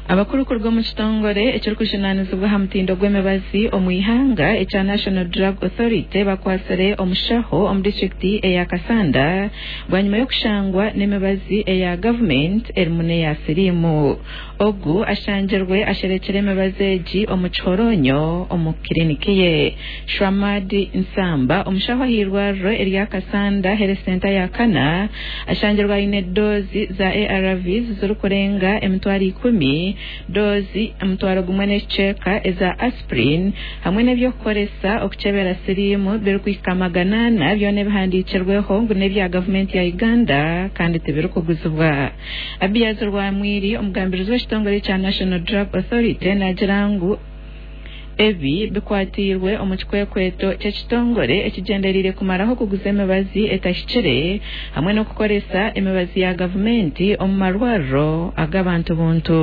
Abakuru kuruga omu kitongore ekirikujunaanizibwa aha mutindo gw'emibazi omu ihanga ekya National Drug Authority bakwatsire omushaho omu disiturikiti eya Kassanda bwanyima y'okushangwa n'emibazi eya gavumenti erimu n'eya siriimu. Ogu ashangirwe asherekire emibazi egi omu kihoronyo omu kiriniki ye. Shwamad Nsamba, omushaho ah'eirwariro erya Kassanda Health Centre ya kana ashangirwe aine doozi za ARVs zirikurenga 100,000, doozi 1000 n'ekicweka eza aspirin hamwe n'eby'okukoresa okukyebera siriimu birikuhika 400 byona ebihandiikirweho ngu n'ebya gavumenti ya Uganda kandi tibirikuguzibwa. Abiaz Rwamwiri, omugambirizi w'ekitongore ekya National Drug Authority naagira ngu ebi bikwatiirwe omu kikwekweto ky'ekitongore ekigyendereire kumaraho okuguza emibazi etahikire hamwe n'okukoresa emibazi ya gavumenti omu marwariro ag'abantu buntu.